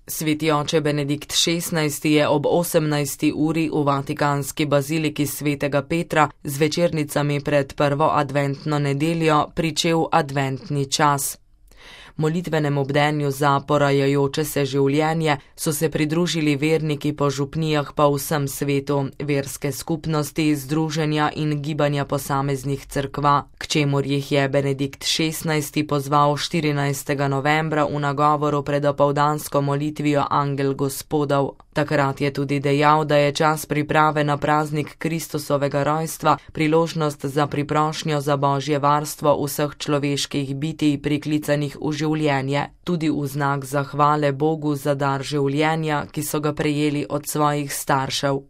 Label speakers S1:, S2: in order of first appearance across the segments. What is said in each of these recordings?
S1: Sveti oče Benedikt XVI je ob 18. uri v vatikanski baziliki svetega Petra z večernicami pred prvo adventno nedeljo pričel adventni čas. Molitvenemu bdenju za porajajoče se življenje so se pridružili verniki po župnijah po vsem svetu, verske skupnosti, združenja in gibanja posameznih cerkva, k čemur jih je Benedikt XVI pozval 14. novembra v nagovoru pred opoldansko molitvijo Angel Gospodov. Takrat je tudi dejal, da je čas priprave na praznik Kristusovega rojstva priložnost za priprošnjo za božje varstvo vseh človeških bitij priklicanih v življenje, tudi v znak zahvale Bogu za dar življenja, ki so ga prejeli od svojih staršev.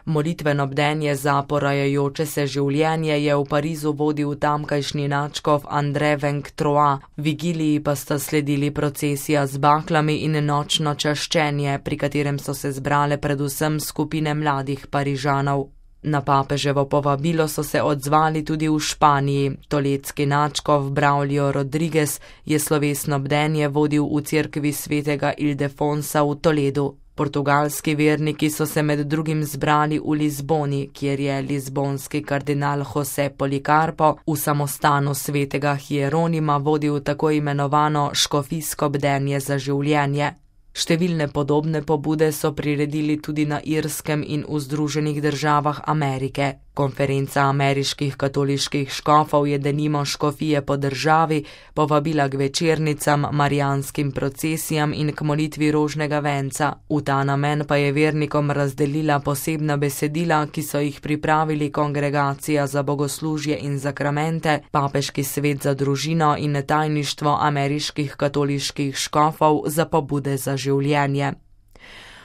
S1: Molitveno bdenje za porajajoče se življenje je v Parizu vodil tamkajšnji nadškof André Vengtroa, vigiliji pa sta sledili procesija z baklami in nočno čaščenje, pri katerem so se zbrale predvsem skupine mladih Parižanov. Na papeževo povabilo so se odzvali tudi v Španiji. Toledski nadškof Braulio Rodriguez je slovesno bdenje vodil v cerkvi svetega Ildefonsa v Toledu. Portugalski verniki so se med drugim zbrali v Lizboni, kjer je lizbonski kardinal José Policarpo v samostanu svetega Hieronima vodil tako imenovano škofijsko bdenje za življenje. Številne podobne pobude so priredili tudi na Irskem in v Združenih državah Amerike. Konferenca ameriških katoliških škofov je denimo škofije po državi povabila k večernicam, marijanskim procesijam in k molitvi rožnega venca. V ta namen pa je vernikom razdelila posebna besedila, ki so jih pripravili Kongregacija za bogoslužje in zakramente, Papeški svet za družino in tajništvo ameriških katoliških škofov za pobude za življenje.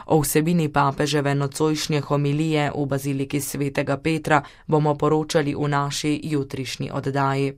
S1: O vsebini papeževe nocojšnje homilije v baziliki svetega Petra bomo poročali v naši jutrišnji oddaji.